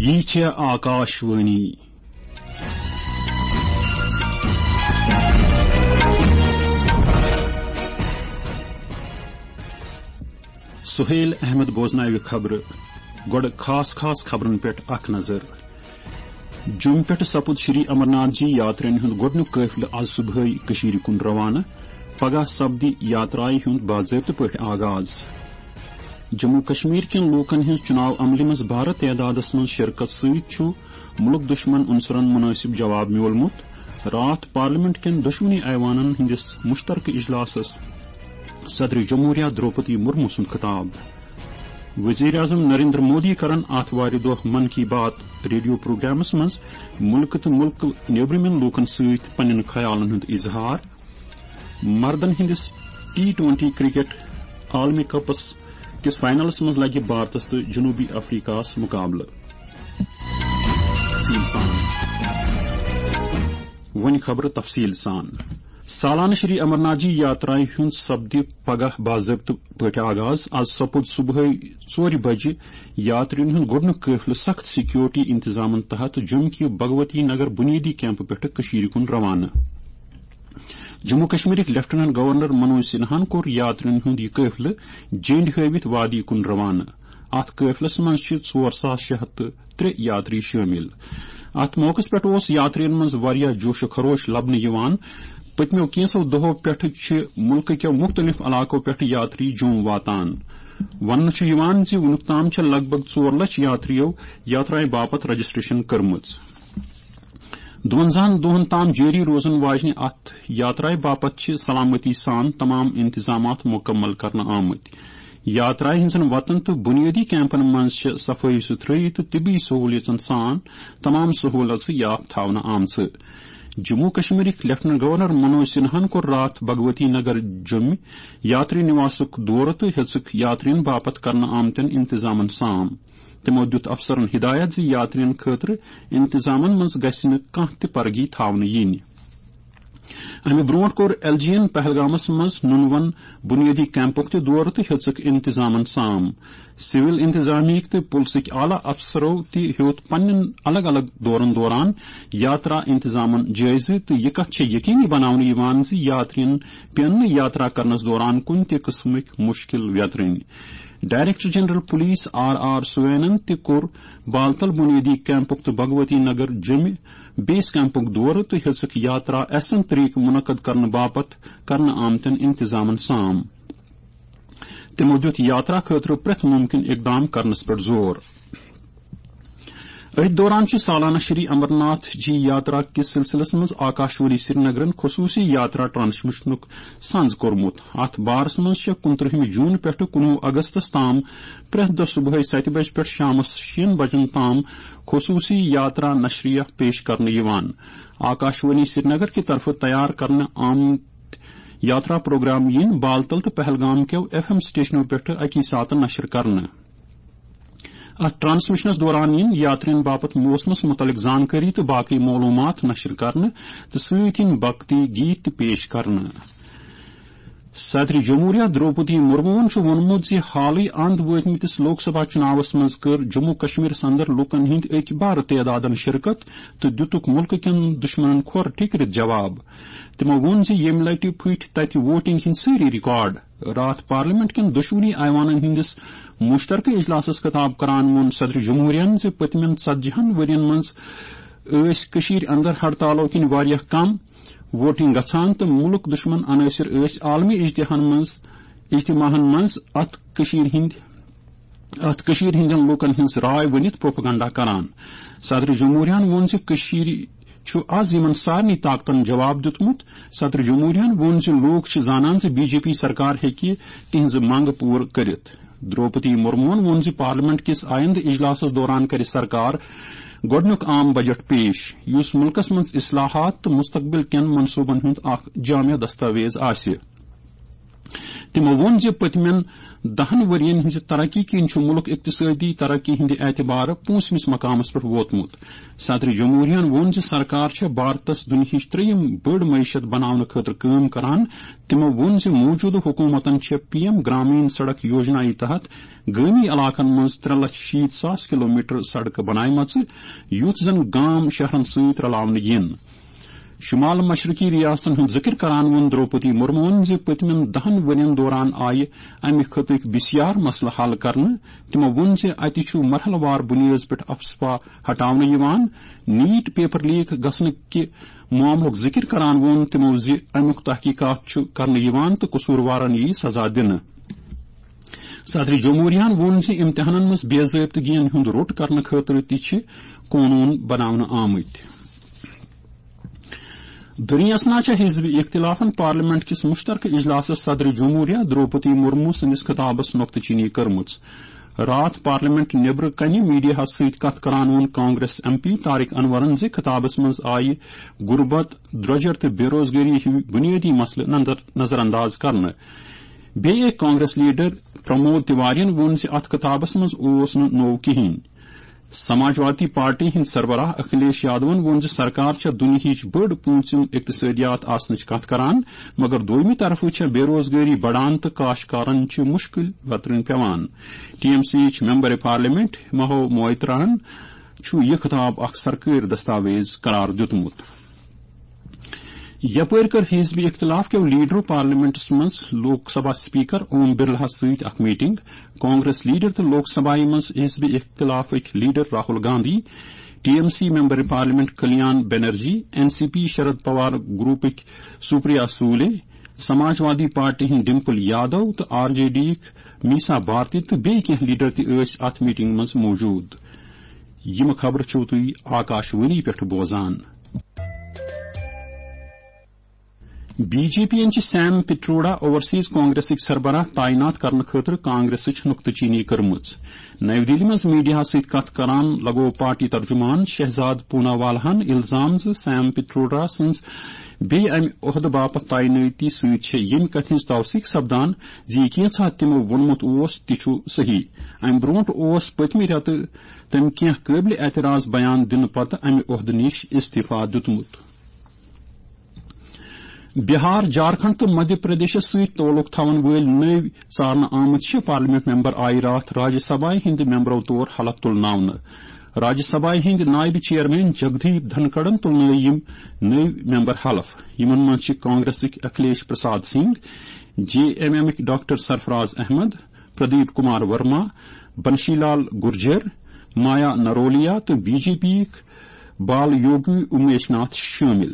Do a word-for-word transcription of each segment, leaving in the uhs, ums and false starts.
یہِ چھےٚ آکاشوانی۔ سہیل احمد بوزناوِ خبرٕ۔ گۄڈٕ خاص خاص خبرن پٮ۪ٹھ اکھ نظر۔ جوٚم پٮ۪ٹھ سپُد شری امرناتھ جی یاترین ہُنٛد گۄڈٕنیُک قٲفلہٕ از صبحٲے کٔشیٖرِ کُن روانہٕ۔ پگاہ سپدِ یاترایہِ ہُنٛد باضٲبطہٕ پٲٹھۍ آغاز۔ جموں کشمیر کٮ۪ن لوٗکن ہٕنٛز چُناو عملہِ منٛز بارٕ تعدادس منٛز شرکت سۭتۍ چھُ مُلک دُشمن عنصرن مُنٲسِب جواب میوٗلمُت۔ راتھ پارلیمنٹ کٮ۪ن دۄشوٕنی ایوانن ہٕنٛدِس مُشترکہٕ اجلاسس صدر جمہوریہ دروپدی مرمو سُنٛد خطاب۔ وزیر اعظم نریندر مودی کرن آتھوارِ دۄہ من کی بات ریڈیو پروگرامس منٛز مُلکہٕ تہٕ مُلکہٕ نیبرِمٮ۪ن لوٗکن سۭتۍ پننٮ۪ن خیالن ہُنٛد اظہار۔ مردن ہٕنٛدِس ٹی ٹوئنٹی کرکٹ عالمی کپس کِس فائنلس منٛز لگہِ بھارتس تہٕ جنوبی افریقہس مقابلہٕ۔ تفصیل سان۔ وۄنۍ خبرٕ تفصیل سان۔ سالانہٕ شری امرناتھ جی یاترایہِ ہُنٛد سپدِ پگاہ باضٲبطہٕ پٲٹھۍ آغاز۔ از سپُد صبحٲے ژورِ بجہِ یاترین ہُنٛد گۄڈٕنیُک قٲفلہٕ سخت سیکیورٹی انتظامن تحت جوٚم کہِ بھگوتی نگر بنیٲدی کیمپہٕ پٮ۪ٹھٕ کٔشیٖرِ کُن روانہٕ۔ جموں کشمیرٕکۍ لیفٹیننٹ گورنر منوج سنہاہن کوٚر یاترین ہُنٛد یہِ قٲفلہٕ جینڈ ہٲوِتھ وادی کُن روانہٕ۔ اتھ قٲفلس منٛز چھِ ژور ساس شےٚ ہتھ تہٕ ترٛےٚ یاتری شٲمِل۔ اتھ موقعس پٮ۪ٹھ اوس یاترین منٛز واریاہ جوش و خروش لبنہٕ یِوان۔ پٔتمیو کینٛژو دۄہو پٮ۪ٹھٕ چھِ مُلکہٕ کٮ۪و مُختٔلِف علاقو پٮ۪ٹھٕ یاتری جوٚم واتان۔ وننہٕ چھُ یِوان زِ وُنیُک تام چھِ لگ بگ ژور لچھ یاتریو یاترایہِ باپتھ رجسٹریشن کٔرمٕژ۔ دُوَنزاہن دۄہن تام جٲری روزن واجنہِ اتھ یاترایہِ باپتھ چھِ سلامتی سان تمام انتظامات مکمل کرنہٕ آمٕتۍ۔ یاترایہِ ہٕنٛزن وتن تہٕ بنیٲدی کیمپن منٛز چھِ صفٲیی ستھرٲیی تہٕ طبی سہولیژن سان تمام سہولژٕ یاپ تھاونہٕ آمژٕ۔ جموں کشمیرٕکۍ لیفٹیننٹ گورنر منوج سنہاہن کوٚر راتھ بھگوتی نگر جوٚمہِ یاتری نواسُک دورٕ تہٕ ہیٚژٕکھ یاترین باپتھ کرنہٕ آمتٮ۪ن انتظامن سام۔ تِمو دِیُت افسرن ہدایت زِ یاترین خٲطرٕ انتظامن منٛز گژھِ نہٕ کانٛہہ تہِ پرگی تھاونہٕ یِنۍ۔ امہِ برونٛٹھ کوٚر ایل جی ین پہلگامس منٛز نُنون بنیٲدی کیمپُک تہِ دورٕ تہٕ ہیٚژٕکھ انتظامن سام۔ سول انتظامیہٕکۍ تہٕ پُلسٕکۍ اعلیٰ افسرو تہِ ہیوٚت پننٮ۪ن الگ الگ دورن دوران یاترا انتظامن جٲیزٕ تہٕ یہِ کتھ چھےٚ یقینی بناونہٕ یِوان زِ یاترین پیٚن نہٕ یاترا کرنس دوران کُنہِ تہِ قٕسمٕکۍ مُشکِل ویترٕنۍ۔ Director general police R R سوینن تہِ کوٚر بالتل بنیٲدی کیمپُک تہٕ بھگوتی نگر جوٚمہِ بیس کیمپُک دورٕ تہٕ ہیٚژٕکھ یاترا احسن طریقہٕ منعقد کرنہٕ باپتھ کرنہٕ آمتٮ۪ن انتظامن سام۔ تِمو دِیُت یاترا خٲطرٕ پرٛٮ۪تھ مُمکِن اقدام کرنس پٮ۪ٹھ زور۔ أتھۍ دوران چھُ سالانہ شری امرناتھ جی یاترا کِس سلسلس منٛز آکاشوانی سرینگرن خصوٗصی یاترا ٹرانسمیشنُک سنز کوٚرمُت۔ اتھ بارس منٛز چھےٚ کُنترٕہمہِ جون پٮ۪ٹھٕ کُنوُہ اگستس تام پرٛٮ۪تھ دۄہ صبحٲے ستہِ بجہِ پٮ۪ٹھ شامس شیٚن بجن تام خصوٗصی یاترا نشریہ پیش کرنہٕ یِوان۔ آکاشوانی سرینگر کہِ طرفہٕ تیار کرنہٕ آمٕتۍ یاترا پروگرام یِن بالتل تہٕ پہلگام کیو ایف ایم سٹیشنو پٮ۪ٹھٕ اکی ساتہٕ نشر کرنہٕ۔ اتھ ٹرانسمیشنس دوران یِن یاترین باپتھ موسمس متعلق زانکٲری تہٕ باقی معلومات نشر کرنہٕ تہٕ سۭتۍ یِن بھکتی گیت تہِ پیش کرنہٕ۔ صدر جمہوریہ دروپدی مرموہن چھُ ووٚنمُت زِ حالٕے اند وٲتمٕتِس لوک سبھا چُناوس منٛز کٔر جموں کشمیرس اندر لوٗکن ہٕنٛدۍ أکۍ بارٕ تعدادن شرکت تہٕ دِتُکھ مُلکہٕ کٮ۪ن دُشمنن کھۄر ٹھیکرِتھ جواب۔ تِمو ووٚن زِ ییٚمہِ لٹہِ پھٕٹۍ تتہِ ووٹنگ ہٕنٛدۍ سٲری ریکارڈ۔ راتھ پارلیمنٹ کٮ۪ن دۄشوٕنی ایوانن ہٕنٛدِس مُشترکہٕ اجلاسس خطاب کران ووٚن صدر جمہوریہن زِ پٔتمٮ۪ن ژتجی ہن ؤرین منٛز ٲسۍ کٔشیٖرِ اندر ہڑتالو کِنۍ واریاہ کم ووٹنگ گژھان تہٕ مُلک دُشمن عناصر ٲسۍ عالمی اجتہن منٛز، اجتماعن منٛز اتھ کٔشیٖرِ ہٕنٛدۍ، اتھ کٔشیٖرِ ہٕنٛدٮ۪ن لوٗکن ہٕنٛز راے ؤنِتھ پروپیگنڈا کران۔ صدر جمہوریہن ووٚن زِ کٔشیٖرِ چھُ از یِمن سارنٕے طاقتن جواب دیُتمُت۔ صدر جمہوریہن ووٚن زِ لوٗکھ چھِ زانان زِ بی جے پی سرکار ہیٚکہِ تِہنٛزٕ منٛگہٕ پوٗرٕ کٔرِتھ۔ دروپدی مرموہن ووٚن زِ پارلیمنٹ کِس آیندٕ اجلاسس دوران کرِ سرکار گۄڈٕنیُک عام بجٹ پیش، یُس مُلکس منٛز اصلاحات تہٕ مستقبل کٮ۪ن منصوبن ہُنٛد اکھ جامع دستاویز آسہِ۔ تِمو ووٚن زِ پٔتمٮ۪ن دَہن ؤرین ہٕنٛزِ ترقی کِنۍ چھُ مُلک اقتصٲدی ترقی ہٕنٛدِ اعتبارٕ پوٗنٛژمِس مقامس پٮ۪ٹھ ووتمُت۔ صدر جمہوریہن ووٚن زِ سرکار چھےٚ بھارتس دُنیاہٕچ ترٛیٚیِم بٔڑ معیشت بناونہٕ خٲطرٕ کٲم کران۔ تِمو ووٚن زِ موجودٕ حکوٗمتن چھےٚ پی ایم گرامین سڑک یوجنایہِ تحت گٲمی علاقن منٛز ترٛےٚ لچھ شیٖتھ ساس کلومیٹر سڑکہٕ بناومژٕ، یُتھ زن گام شہرن سۭتۍ رلاونہٕ یِن۔ شمال مشرقی ریاستن ہُنٛد ذکر کران ووٚن دروپدی مرموہن زِ پٔتمٮ۪ن دَہن ؤرین دوران آیہِ امہِ خطٕکۍ بسیار مسلہٕ حل کرنہٕ۔ تِمو ووٚن زِ اتہِ چھُ مرحلہٕ وار بُنیٲدس پٮ۪ٹھ افسپا ہٹاونہٕ یِوان۔ نیٹ پیپر لیک گژھنہٕ کہِ معاملُک ذکر کران ووٚن تِمو زِ امیُک تحقیقات چھُ کرنہٕ یِوان تہٕ قصوٗروارن یِیہِ سزا دِنہٕ۔ صدر جمہوریہن ووٚن زِ امتحانن منٛز بے ضٲبطگین ہُنٛد روٚٹ کرنہٕ خٲطرٕ تہِ چھِ قونوٗن بناونہٕ آمٕتۍ۔ دٔرین اسنا چھےٚ حزب اختلافن پارلیمنٹ کِس مشترکہٕ اجلاسس صدر جمہوریہ دروپدی مرمو سٕنٛدِس خطابس نۄقطہٕ چینی کٔرمٕژ۔ راتھ پارلیمنٹ نیبرٕ کنہِ میڈیاہس سۭتۍ کتھ کران ووٚن Congress M P Tariq in our زِ خطابس منٛز آیہِ غربت، درۄجر تہٕ بے روزگٲری ہِوۍ بنیٲدی مسلہٕ نظر-، نظر انداز کرنہٕ۔ بیٚیہِ أکۍ کانگریس لیڈر پرمود تیوارین ووٚن زِ اتھ خطابس منٛز اوس نہٕ نوٚو کِہینۍ۔ سماجوادی پارٹی ہٕنٛدۍ سربراہ اکھلیش یادون ووٚن زِ سرکار چھےٚ دُنیاہٕچ بٔڑ پوٗنٛژِم اقتصٲدیات آسنٕچ کتھ کران، مگر دوٚیمہِ طرفہٕ چھےٚ بے روزگٲری بڑان تہٕ کاشتکارن چھِ مُشکِل وترٕنۍ پٮ۪وان۔ ٹی ایم سی یِچ ممبر پارلیمنٹ مہو مویتراہن چھُ یہِ خطاب اکھ سرکٲرۍ دستاویز قرار دیُتمُت۔ یپٲرۍ کٔر حزب اختلاف کیو لیڈرو پارلیمنٹس منٛز لوک سبھا اسپیکر اوم برلاہس سۭتۍ اکھ میٹنگ۔ کانگریس لیڈر تہٕ لوک سبھایہ منٛز حزب اختلافٕکۍ leader Rahul Gandhi, T M C member parliament Kalyan Banerjee, N C P Sharad Pawar گروپٕکۍ سپریا سولے، سماجوادی پارٹی ہٕنٛدۍ ڈمپل یادو تہٕ آر جے ڈی یِکۍ میسا بھارتی تہٕ بیٚیہِ کینٛہہ لیڈر تہِ ٲسۍ اتھ میٹنگ منٛز موجود۔ یِم خبرٕ چھِو تُہۍ آکاشوانی پٮ۪ٹھ بوزان۔ بی جے پی یَن چھِ سیم پٹروڈا اوورسیز کانگریسٕکۍ سربراہ تعینات کرنہٕ خٲطرٕ کانگریسٕچ نُکتہٕ چینی کٔرمٕژ۔ نَوِ دِلہِ منٛز میڈیاہَس سۭتۍ کتھ کران لگوو پارٹی ترجمان شہزاد پوناوالہَن الزام زِ سیم پٹروڈا سٕنٛز بیٚیہِ امہِ عہدٕ باپتھ تعینٲتی سۭتۍ چھےٚ ییٚمہِ کتھِ ہٕنٛز توثیق سپدان زِ یہِ کینٛژھا تِمو ووٚنمُت اوس، تہِ چھُ صحیح۔ امہِ برونٛٹھ اوس پٔتمہِ رٮ۪تہٕ تٔمۍ کینٛہہ قٲبلِ اعتراض بیان دِنہٕ پتہٕ امہِ عہدٕ نِش استعفیٰ دیُتمُت۔ بہار، جھارکھنڈ تہٕ مدھیہ پردیشس سۭتۍ تعلق تھاون وٲلۍ نٔوۍ ژارنہٕ آمٕتۍ شےٚ پارلیمنٹ ممبر آیہِ راتھ راجیہ سبھایہ ہٕنٛدِ ممبرو طور حلف تُلناونہٕ۔ راجیہ سبھایہ ہٕنٛدۍ نائب چیئرمین جگدیپ دھنکڑن تُلنٲوۍ یِم نٔوۍ ممبر حلف۔ یِمن منٛز چھِ کانگریسٕکۍ اکھلیش پرساد سنگھ، جے ایم ایمٕکۍ ڈاکٹر سرفراز احمد، پردیپ کمار ورما، بنشی لال گرجر، مایا نرولیا تہٕ بی جے پی یِکۍ بال یوگی امیش ناتھ شٲمِل۔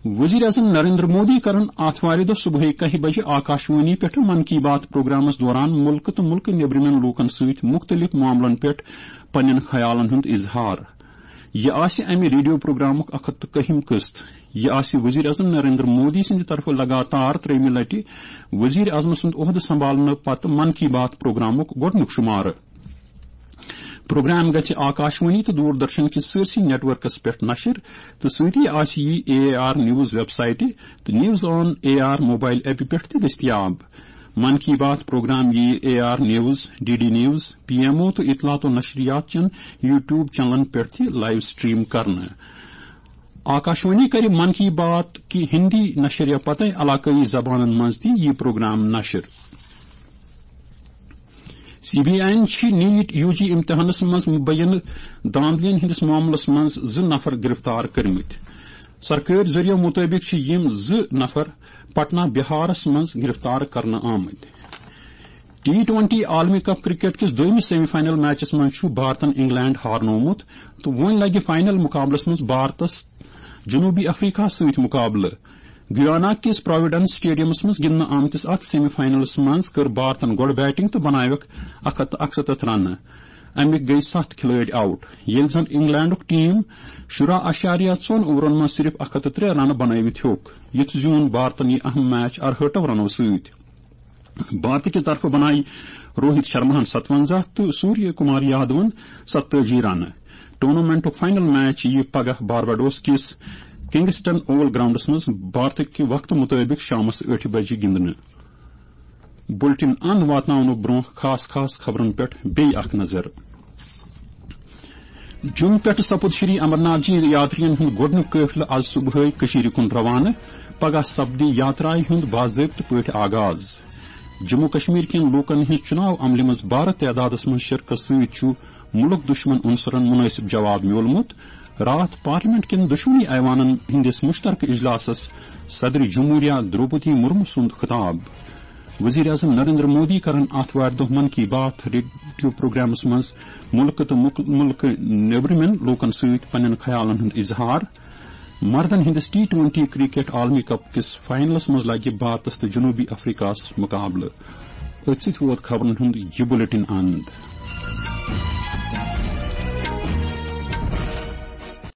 وزیر اعظم نریندر مودی کرن آتھوارِ دۄہ صبحٲے کاہہِ بجہِ آکاشوانی پٮ۪ٹھ من کی بات پروگرامس دوران مُلکہٕ تہٕ مُلکہٕ نیبرِمٮ۪ن لوٗکن سۭتۍ مُختٔلِف معاملن پٮ۪ٹھ پننٮ۪ن خیالن ہُنٛد اظہار۔ یہِ آسہِ امہِ ریڈیو پروگرامُک اکھ ہتھ تہٕ کٔہِم قسط۔ یہِ آسہِ وزیر اعظم نریندر مودی سٕنٛدِ طرفہٕ لگاتار ترٛیٚیِمہِ لٹہِ وزیر اعظم سُنٛد عہدٕ سنبھالنہٕ پتہٕ من کی بات پروگرامُک گۄڈٕنیُک شمارٕ۔ پروگرام گژھِ آکاشوانی تہٕ دوردرشن کِس سٲرسٕے نیٹ ورکس پٮ۪ٹھ نشر تہٕ سۭتی آسہِ یہِ اے آر نیوز ویب سائٹہِ تہٕ news on A R mobile ایپہِ پٮ۪ٹھ تہِ دٔستیاب۔ من کی بات پروگرام یِیہِ A R news, D D news, P M O تہٕ اطلاعات و نشریات چٮ۪ن یوٹیوب چینلن پٮ۪ٹھ تہِ لائیو سٹریم کرنہٕ۔ آکاشوانی کرِ من کی بات کہِ ہندی نشریہ پتہٕ علاقٲیی زبانن منٛز تہِ یہِ پروگرام نشر۔ سی بی آئی یَن چھِ نیٹ یو جی امتحانس منٛز مبینہٕ دھاندلیَن ہٕنٛدِس معاملس منٛز زٕ نفر گرفتار کٔرمٕتۍ۔ سرکٲرۍ ذٔریعہٕ مُطٲبِق چھِ یِم زٕ نفر پٹنہ بہارس منٛز گرفتار کرنہٕ آمٕتۍ۔ ٹی ٹوئنٹی عالمی کپ کرکٹ کِس دوٚیمِس سیمی فائنل میچس منٛز چھُ بھارتن انگلینڈ ہارنوومُت تہٕ وۄنۍ لگہِ فائنل مقابلس منٛز بھارتس جنوبی افریقہ سۭتۍ مقابلہٕ۔ گیانا کِس پروویڈنس سٹیڈیمس منٛز گِنٛدنہٕ آمتِس اتھ سیمی فائنلس منٛز کٔر بھارتن گۄڈٕ بیٹنگ تہٕ بناوکھ اکھ ہتھ تہٕ اکستتھ رنہٕ۔ امیِکۍ گٔیہِ ستھ کھلٲڑۍ آؤٹ، ییٚلہِ زن انگلینڈُک ٹیم شُراہ اعشاریہ ژۄن اوورن منٛز صرف اکھ ہتھ تہٕ ترٛےٚ رنہٕ بنٲوِتھ ہیوٚک۔ یِتھ زیوٗن بھارتن یہِ اہم میچ ارہٲٹھو رنو سۭتۍ۔ بھارتٕکہِ طرفہٕ بنایہِ روہت شرماہن ستونزہ تہٕ سوریہ کمار یادون ستتٲجی رنہٕ۔ ٹورنامنٹُک فائنل میچ یِیہِ پگاہ بارباڈوس کِس کنگسٹن اوول گراؤنڈس منٛز بھارتٕکہِ وقتہٕ مُطٲبِق شامس ٲٹھِ بجہِ گِنٛدنہٕ۔ بُلٹن اند واتناونہٕ برونٛہہ خاص خاص خبرن پٮ۪ٹھ بیٚیہِ اکھ نظر۔ جوٚم پٮ۪ٹھٕ سپُد شری امرناتھ جی یاترین ہُنٛد گۄڈٕنیُک قٲفلہٕ آز صبحٲے کٔشیٖرِ کُن روانہٕ۔ پگاہ سپدِ یاترایہِ ہُنٛد باضٲبطہٕ پٲٹھۍ آغاز۔ جموں کشمیر کٮ۪ن لوٗکن ہٕنٛز چُناو عملہِ منٛز بارٕ تعدادس منٛز شرکت سۭتۍ چھُ مُلک دُشمن عنصرن مُنٲسِب جواب میوٗلمُت۔ راتھ پارلیمنٹ کٮ۪ن دۄشوٕنی ایوانن ہٕنٛدِس مُشترکہٕ اجلاسس صدر جمہوریہ درٛوپدی مُرموٗ سُنٛد خطاب۔ وزیر اعظم نریندر مودی کرن آتھوارِ دۄہ من کی بات ریڈیو پروگرامس منٛز مُلکہٕ تہٕ مُک-، مُلکہٕ نیبرِمٮ۪ن لوٗکن سۭتۍ پننٮ۪ن خیالن ہُنٛد اظہار۔ مردن ہٕنٛدِس ٹی ٹوینٹی کرکٹ عالمی کپ کِس فائنلس منٛز لگہِ بھارتس تہٕ جنوبی افریقہس مقابلہٕ۔ أتھۍ سۭتۍ ووت خبرن ہُنٛد یہِ بُلٹن اند۔